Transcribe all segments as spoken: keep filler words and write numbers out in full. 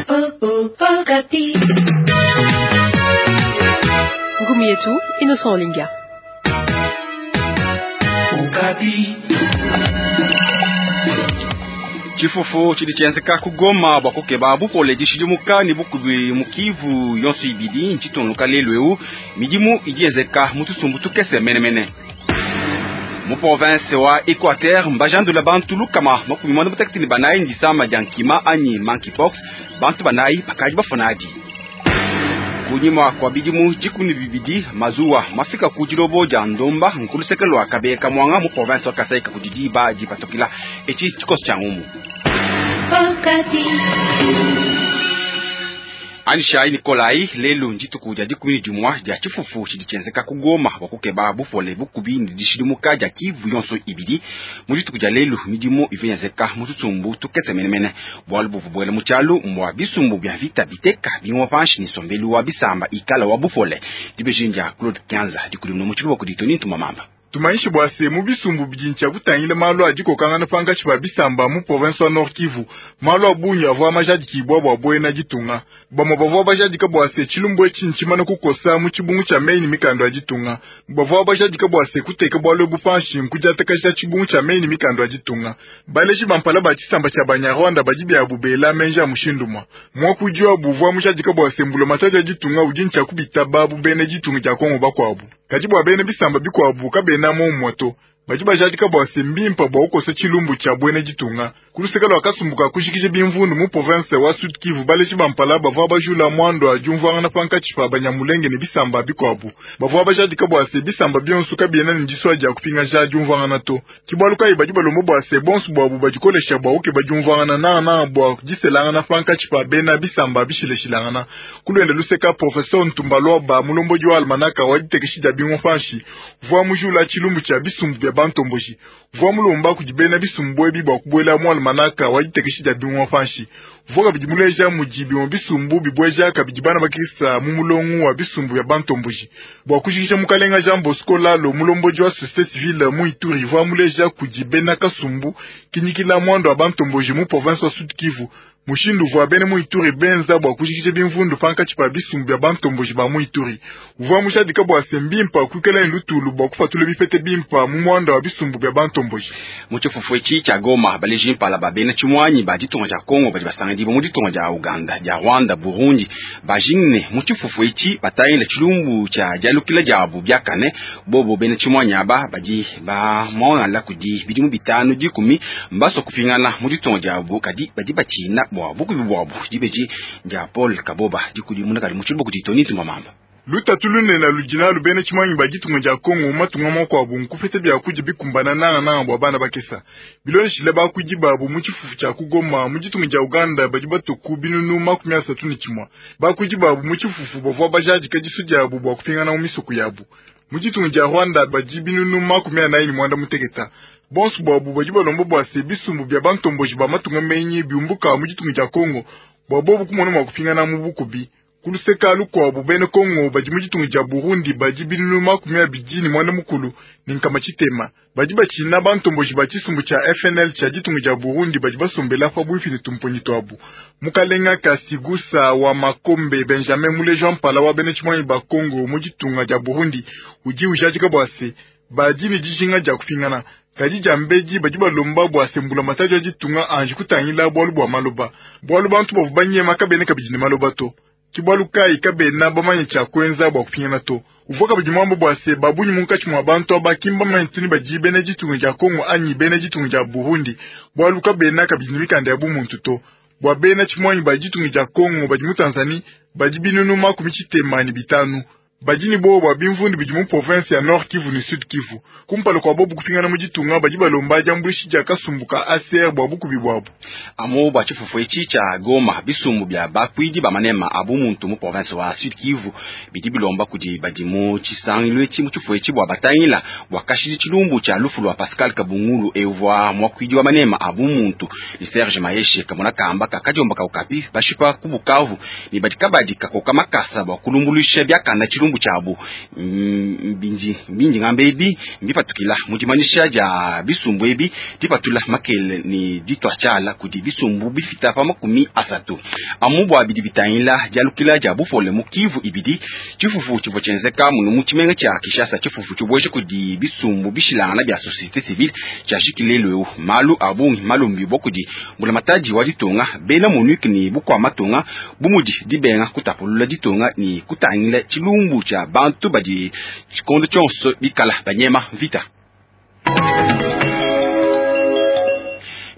Okapi. Ngumi yetu Innocent Olinga. Okapi. Tshifufu tshidi tshienzeka ku Goma bua kukeba bupole dishidimuka ne bukubi mu Kivu yonso ibidi ntshitungunuka lelu eu. Midimu idi yenzeka mu tusumbu tukese menemene. Mu province wa Equateur mbajandula bantu lukama makumi muanda mutekete ne banayi ndisama dia nkima anyi monkeypox, bantu banayi bakadi bafuna adi. Kunyima kua bidimu dikumi ne bibidi mazuwa mafika ku dilobo dia Ndomba nkuluseke lua Kabeya Mwanga mu province wa Kasai kudi diba dipatukila. Etshi tshikoso tshia ngumu. Okapi. Anishai Nikolai lelu ndituku dia dikumi ne dimua dia tshifufu tshidi tshienzeka ku Goma bua kukeba bupole bukubi ne dishidimuka dia Kivu yonso ibidi. Mu dituku dia lelu midimu ivua yenzeka mu tshisumbu tukese menemene, bualu buvua buela mu tshialu mbua bisumbu bia vita biteka bingoma panshi ne nsombelu wa bisamba ikala wa bupole. Dibeji dia Claude Kianza dikulimuna mu tshiluba kudi Tony Ntumamamba. Tumanyishe bua se mu bisumbu bidi ntshia kutangila malu a dikokangana pankatshi pa bisamba mu province wa Nord Kivu, malu a bungi avua majadikibua bua buena ditunga. Bamue bavua bajadika bua se tshilumbu etshi ntshimane kukosa mu tshibungu tshia meyi ne mikanda ya ditunga. Bavua bajadika bua se kuteka bualu ebu panshi nkudiatakaja tshibungu tshia meyi ne mikanda ya ditunga. Baleji ba mpala ba tshisamba tshia Banyarwanda badi biabu bela menji a mushindu mwa muakudi wabu uvua mujadika bua se mbulamatadi ya ditunga udi ntshia kubitaba bu bena ditunga dia Kongo bakuabu. Kadi bua bena bisamba bikuabu kabena momumue to. Badi bajadika bua se mbimpa bua kukosa tshilumbu tshia buena ditunga. Ku luseke lua kasumbu ka kujikija bimvundu mu province wa Sud Kivu, baleji ba mpala bavua bajula muandu wa diumvuangana pankatshi pa Banyamulenge ne bisamba bikuabu. Bavua bajadika bua se bisamba bionso kabiena ne disua dia kupingaja diumvuangana to. Ke bualu kayi badi balomba bua se bonso buabu badikolesha bua kukeba diumvuangana nangananga bua diselangana pankatshi pa bena bisamba bishilashilangana. Ku luende luseka, Professeur Ntumba Luaba, mulombodi wa almanaka wa ditekeshi dia bingoma panshi, uvua mujula tshilumbu tshia bisumbu bia bantomboji. Uvua mulomba kudi bena bisumbu ebi bua kubuela mu almanaka wa ditekeshi dia bingoma panshi. Uvua kabidi muleja mudi bimue bisumbu bibueja kabidi bana bakisa mu mulongo wa bisumbu bia bantomboji. Bua kujikija, mukalenga Jean Bosco Lalo, mulombodi wa société civile mu Ituri, uvua muleja kudi bena kasumbu kinyikila muandu wa bantomboji mu province wa Sud Kivu. Mushindu uvua bena mu Ituri benza bua kujikija bimvundu pankatshi pa bisumbu bia bantomboji ba mu Ituri. Uvua mujadika bua se mbimpa kuikala ne lutulu bua kupatula bipete bimpa mu muanda wa bisumbu bia bantomboji. Mu tshifufu etshi tshia Goma, baleji mpala ba bena tshimuanyi ba ditunga dia Kongo badi basangidibua mu ditunga dia Uganda, dia Rwanda, Burundi bajingne mu tshifufu etshi batangila tshilumbu tshia dialukila diabu biakane. Bobo bena tshimuanyi aba badi bamuangala kudi bidimu bitanu dikumi mbasua kupingana mu ditunga diabu, kadi badi batshina bua bukubi buabu. Dibeji dia Paul Kaboba dikudimuna kadi mu tshiluba kudi Tony Ntumamamba. Lutatu lunene ludi nalu bena tshimuanyi ba ditunga dia Kongo mu matunga makuabu nkupeta biakudia bikumbana nangananga bua bana bakesa. Bilondeshile bakuidi babu mu tshifufu tshia ku Goma mu ditunga dia Uganda badi batuku binunu makumi asatu ne tshimue. Bakuidi babu mu tshifufu bavua bajadika disu diabu bua kupingana mu misoko yabu. Mu ditunga dia Rwanda badi binunu makumi anayi ne muanda muteketa. Bonso buabu badi balomba bua se bisumbu bia bantomboji ba matunga menyi biumbuka mu ditunga dia Kongo bua bobu kumona mua kupingana mu bukubi. Ku luseka lukuabu bena Kongo badi mu ditunga dia Burundi badi binunu makumi abidi ne muanda mukulu ne nkama tshitema. Badi batshina bantomboji ba tshisumbu tshia F N L tshia ditunga dia Burundi badi basombela pabuipi ne tumponyi tuabu. Mukalenga Kasigusa wa Makombe Benjamin muleji wa mpala wa bena tshimuanyi ba Kongo mu ditunga dia Burundi udi ujadika bua se badi ne dijinga dia kupingana. Kadi dia mbedi badi balomba bua se mbulamatadi wa ditunga anji kutangila bualu bua maloba. Bualu bantu bavua banyema kabena kabidi ne maloba to. Ke bualu kayi kabena bamanye tshia kuenza bua kupingana to. Uvua kabidi muambe bua se babunyi munkatshi mua bantu aba ki mbamanye tuni badi bena ditunga dia Kongo anyi bena ditunga dia Burundi, bualu kabena kabidi ne mikanda ya bumuntu to. Bua bena tshimuanyi ba ditunga dia Kongo badi mu Tanzanie badi binunu makumi tshitema ne bitanu. Badi ne bowa bua bimvundu bidi mu province ya Nord Kivu ne Sud Kivu. Kumpala kua bobu kupingana mu ditunga badi balomba diambuluishi dia kasumbu ka A C R bua bukubi buabu. Amu bua tshifufu etshi tshia Goma, bisumbu bia bakuidi ba manema a bumuntu mu province wa Sud Kivu bidi bilomba kudi badi mu tshisangilu etshi mu tshifufu etshi bua batangila bua kashidi tshilumbu tshia lufu lua Pascal Kabungulu evua muakuidi wa manema a bumuntu ne Serge Maheshe kamona kamba kakadiomba ka Okapi bashipa ku Bukavu ne badi kabadi kakoka makasa bua kulumbuluisha biakana tshilumbu tshilumbu tshiabu. Mbindi mbindi ngamba ebi mbipatukila mu dimanyisha dia bisumbu ebi dipatula makele ne ditwa tshiala kudi bisumbu bifita pa makumi asatu amu bua bidi bitangila dialukila dia bupole mu Kivu ibidi. Tshifufu tshivua tshienzeka munu mu tshimenga tshia Kinshasa, tshifufu tshibueje kudi bisumbu bishilangana bia société civile tshiashikile lelu malu a bungi malombi bua kudi mbulamatadi wa ditunga bena MONUC ne bukua matunga bumudi dibenga kutapulula ditunga ne kutangila tshilumbu tshia bantu badi tshikondo tshionso bikala banyema vita.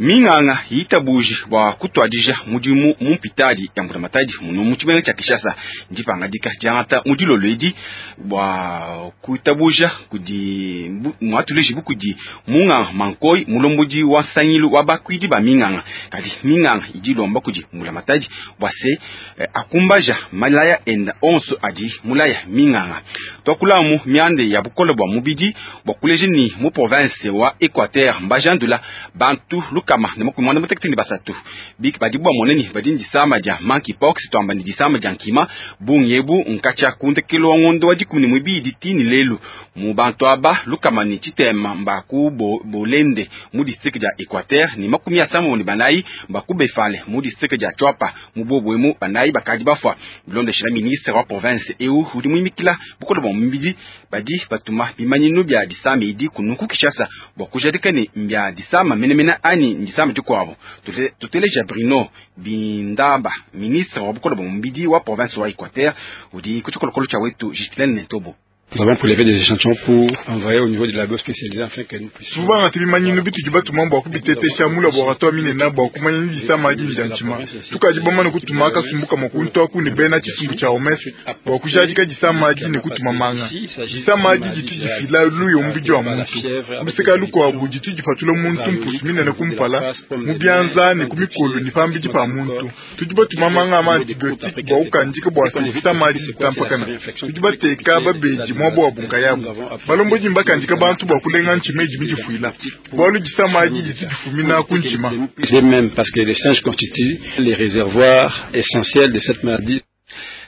Minganga yitabuji bua kutwadija mudimu mu mpitadi ya mbulamatadi muno mu tshimenga tshia Kinshasa ndipangadika diangata mu dilolo edi bua kuitabuja kudi muatuleji bukudi munganga Mankoi mulombodi wa nsangilu wa bakuidi ba minganga. Kadi minganga idi ilomba kudi mbulamatadi bua se eh, akumbaja malaya enda onso adi mulaya minganga. Twakulamu miande ya bukole bua mubidi bua kuleja ni mu province wa Equateur mbajandula bantu kama ne makumi muanda mutekete ne basatu biki badi bua moneni badi ndisama dia monkeypox twamba ni disama dia nkima bungi ebu nkacha kundekelo wa ngondo wa dikumi ne muibidi tini lelu mu bantu aba lukama ni tshitema mbaku bo, bolende mu district dia Equateur ni makumi asambo ne banayi mbaku befale mu district dia Tshuapa mu bobwemu banayi bakadi bafwa. Bilondeshela ministre wa province eu udi muimikila bukole bua mubidi badi batuma bimanyinu bia disama idi kunuku Kinshasa bua kujadika ne mbia disama menemene ani ndisama dikuabo. Tuteleja Bruno Bindaba ministre wa bukole bua mubidi wa province wa Equateur udi ku tshikolokolo tshia wetu Justine Ntobo. Nous avons prélevé des échantillons pour envoyer au niveau du labo spécialisé afin que nous puissions. Souvent bimanyinu bitudi batuma bua kubitetesha mu laboratoire minene bua kumanya ni disama adi dia ntshima. Tukadi bamane kutuma kasumbu kamue kuntu aku ne bena tshisumbu tshia O M S bua kujadika disama adi ne kutuma manga. Disama adi ditu difila luyo mubidi wa muntu. Luseka lukuabu ditu dipatula muntu mpusu minene kumpala mu bianza ne ku mikolo ne pambidi pa muntu. Tudi batuma manga ma antibiotique bua kukandika bua disama adi ditampakana. Tudi bateka babedi mwabo wa bunkayabu balombodi mbakandika bantu bua kulenga ntshima idi midifuila bualu disama adi ditu difumina ku ntshima. Même parce que les singes constituent les réservoirs essentiels de cette maladie.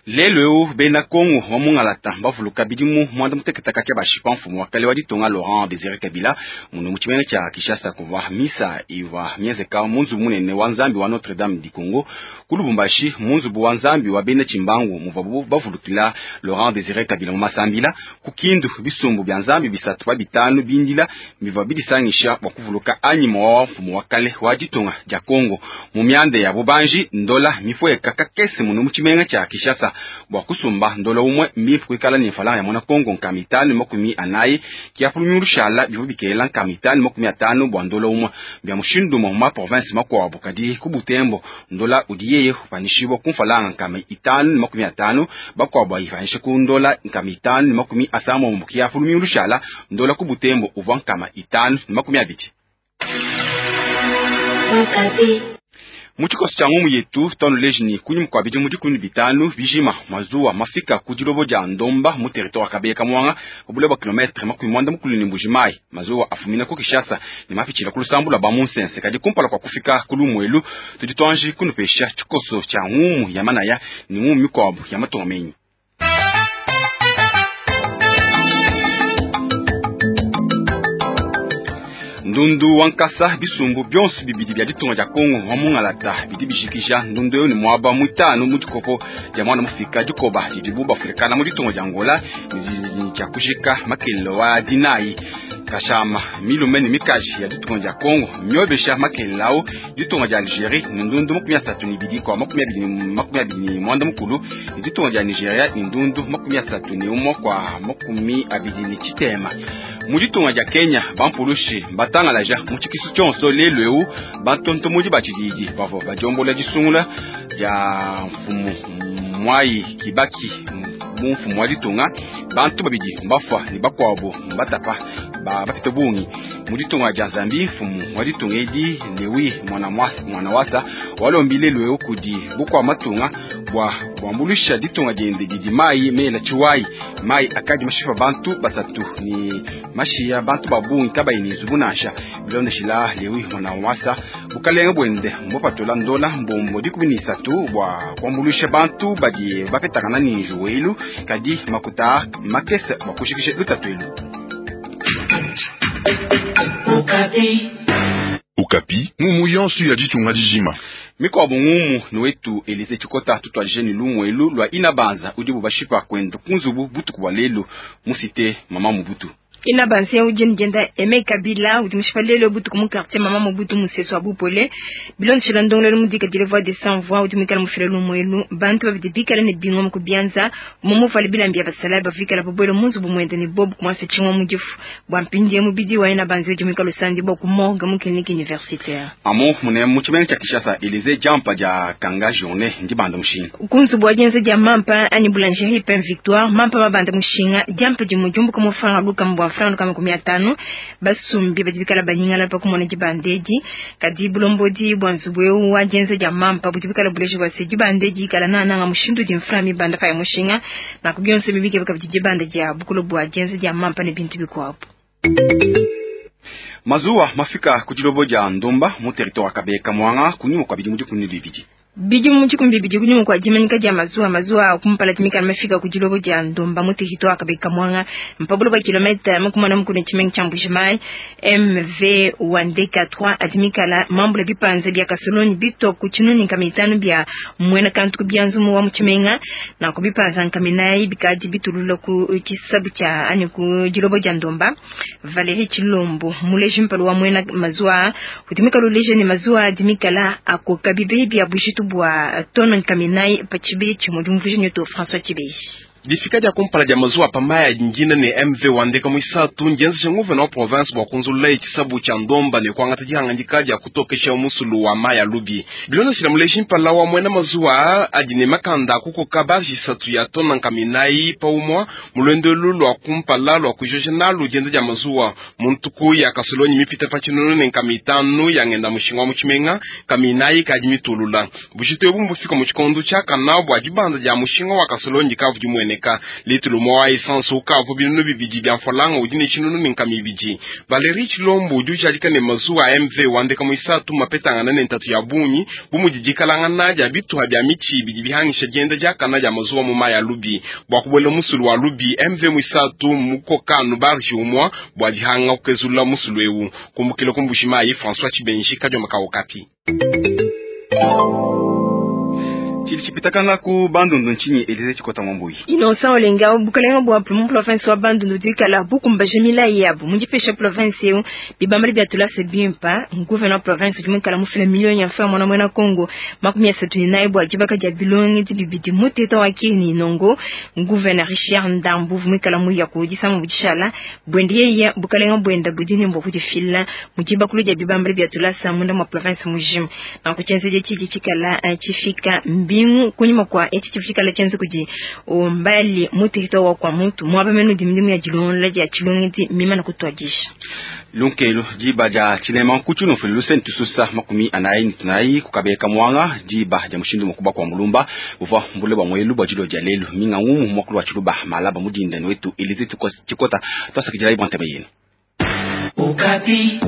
Lelo eu bena Kongo wa mungalata bavuluka bidimu muanda mutekete katshia bashipa mfumu wa kale wa ditunga Laurent Désiré Kabila muno mu tshimenga tshia Kinshasa kuvua misa ivua mienzeka mu nzubu munene wa Nzambi wa Notre Dame du Congo ku Lubumbashi mu nzubu wa Nzambi wa bena Tshimbangu muvuabu bavulukila Laurent Désiré Kabila mu masambila ku Kindu bisumbu bia Nzambi bisatu pa bitanu bindila bivua bidisangisha bua kuvuluka anyima wa mfumu wa kale wa ditunga dia Kongo mu miande ya bubanji ndola mifueka kakese muno mu tshimenga tshia Kinshasa bua kusumba ndola umwe mbifu kuikala ne mfalanga ya mwana Kongo nkama itanu makumi anayi kiapulu lushala bivua bikela nkama itanu makumi atanu bua ndola umwe bia mushindu mwa ma province makuabu kadi ku Butembo ndola udi yeye upanishibwa ku mfalanga nkama itanu makumi atanu bakuabu ayifanishe ku ndola nkama itanu makumi asambombo kiapulu lushala ndola ku Butembo uvua nkama itanu makumi abidi. Mu tshikoso tshia ngumu yetu twanuleji ni kunyima kua bidimu dikumi ne bitanu bijima mazuwa mafika ku dilobo dia Ndomba mu territoire wa Kabeya Kamwanga bule bua kilometre makumi muanda mukulu ne Mbuji-Mayi. Mazuwa afumina ku Kinshasa ne mapitshila ku lusambu lua ba Munsense kadi kumpala kua kufika ku Lumuelu tudi tuanji kunupesha tshikoso tshia ngumu ya manaya ne ngumu mikuabu ya matunga menyi. Ndundu wankasa bisumbu bionso bibidi bia ditunga dia Kongo wa mungalata bidi bishikisha ndundu yo ni mwaba mwitano mu dikopo dia mwana mufika dikoba didibu bafulikana mu ditunga dia Angola ni dia kushika makelelo wa dinayi kashama milume ne mikaji ya ditunga dia Kongo myobesha makelelo ao ditunga dia Algerie ni ndundu makumi asatu ne ibidi kwa makumi abidi makumi abidi ne mwanda mukulu ni ditunga dia Nigeria ni ndundu makumi asatu ne umwe kwa makumi abidi ne tshitema. Mu ditunga dia Kenya bampulushi batangalaja mu tshikisu tshionso lelu eu bantontomodi ba tshididi bavua badiombola disungula dia mfumu Mwai Kibaki mu mfumu wa ditunga bantu babidi mbafua ne bakuabu mbatapa ba bapite bungi Mu ditunga dia Zambie, mfumu wa ditunga edi Lewi Mwanawasa walombi lelu eu kudi bukua matunga bua buambulusha ditunga diende didi mai mela chiwai mai akadi mashipa bantu basatu ni mashiya bantu babungi kabayi ni nzubu nansha. Bilondeshila Lewi Mwanawasa bukalenga bwende mbopatola ndola mbombo dikumi ni isatu bua kuambulusha bantu badi bapetakana ni njuwelu kadi makuta makese bua kushikisha lutatu elu. Okapi. Okapi, ngumu yonso ya ditunga dijima. Mikwabo ngumu niwetu Elise Chikota tutwalije ni lumwelu lwa inabanza udibu bashipa kwenda kunzubu butuku bwa lelu musite mama Mobutu. Ina banse ujeni jenda Aimé Kabila udi mushipalelo butuku mu quartier mama Mobutu museso abupole bilon shila ndongelo mudika dile voix de sans voix udi mikala mufile lumwelu bantu babidi bikala ne bingwa mu kubianza mumu fali bilambia basala bafikala bobwelo munzu bumwende ni bob kumwase chingwa mujifu bwa mpindi mubidi wa ina banse udi mikala sandi bo kumorga mu clinique universitaire amo mune mu chimenga cha Kinshasa Elise jampa ja kanga journée ndi banda mushinga kunzu bwa jenze ja mampa ani boulangerie Pain Victoire mampa mabanda mushinga jampa di mujumbu kama franga luka mbwa franga kama kumi atano basumbi badibikala banyingala pa kumona jibandeji kadi bulombodi bwa nzubwe wa jenze ja mampa budibikala buleje bwa se jibandeji kala na nanga mushindu di mframi banda pa mushinga na kubyonse bibike bikabijibande ja bukulo bwa jenze ja mampa ne bintu bikwapo. Mazuwa mafika kujilobo ja Ndomba mu territoire Kabeka Mwanga kunyuma kwa bidimu dikumi bibidi bidi mu chikumbi bidi kunyuma kwa jimanyika ja mazuwa mazuwa kumpala timika mafika kujilobo ja Ndomba mu territoire Kabeka Mwanga mpabulo ba kilomita makumana mukune chimengi cha Mbujimayi M V Wandeka trois atimika la mambule bipanze bya kasoloni bito kuchinuni kamitano bya mwena kantu kubyanzumu wa muchimenga na kubipanza nkaminayi bikaji bitulula ku chisabu cha ani ku jilobo ja Ndomba. Valérie Chilombo muleji mpalo wa mwena mazuwa kutimika luleje ni mazuwa atimika la akokabibe bya bushitu bwa tono nkaminai pachibe chimujumvuje nyoto François Chibeji. Difika dia kumpala dia mazuwa pamaya njina ne M V Wandeka mwisatu njenza nguvena wa province bwa kunzulula ichisabu cha Ndomba ne kwangata dihangandika dia kutokesha musulu wa maya lubi. Bilona shila muleji mpala wa mwena mazuwa adi ne makanda kukoka barji satu ya tona nkaminai pa umwa mulwendo lwa kumpala lwa kujoja nalu jenza dia mazuwa muntuku ya kasolonyi mipita pa chinono ne nkamitanu ya ngenda mushinga wa muchimenga kaminai kadi mitulula. Bushito ebu mbufika mu chikondo cha kana bwa dibanda dia mushinga wa kasolonyi kavu dimwene ka litulu mwa essence ukavu binunu bibidi bya mfolanga udi ne chinunu ne nkami ibidi. Valérie Chilombo udi ujadika ne mazuwa M V Wandeka mwisatu mapetangana ne ntatu ya bunyi bumudidikalangana dia bituha bya michi ibidi bihangisha dienda diakana dia mazuwa mu maya lubi bwa kubwela musulu wa lubi M V mwisatu mukokanu barji umwa bwa dihanga kukezula musulu ewu kumbukila kumbushimayi François Chibenji kajoma ka Okapi. Chilichipitakana ku Bandundu nchini Elise Chikota Mwambui. Innocent Olenga bukalenga bwa mu province wa Bandundu dikala bukumba jemila yabo mujipesha province yo bibambali bya tulase bimpa gouverneur province jumikala mufila million ya francs mwana mwana Congo makumi ya satu ni bwa jibaka dia bilongi di bibidi muteta wa kini nongo gouverneur Richard Ndambu vumikala mu yakudisa mu buchala bwendiye ya bukalenga bwenda budini mbo kujifila mujiba kuluja bibambali bya tulasa munda mwa province mujim na kuchenzeje chiji chikala chifika mbi kunyuma kwa eti chifika la chenzo kuji umbali mutihito wa kwa mtu mwaba menu dimdimu ya jilonla ya chilongiti mima na kutwajisha lunkelo jiba ja chilema kuchuno fulu sentu susa makumi anayi nitunayi kukabeka mwanga jiba ja mushindu mukubwa kwa mulumba uva mbule bwa mwelu bwa jilo ja lelu minga ngumu mwakulu wa chiluba malaba mudinda wetu Elise Chikota twasakijira ibwanteme yenu. Okapi.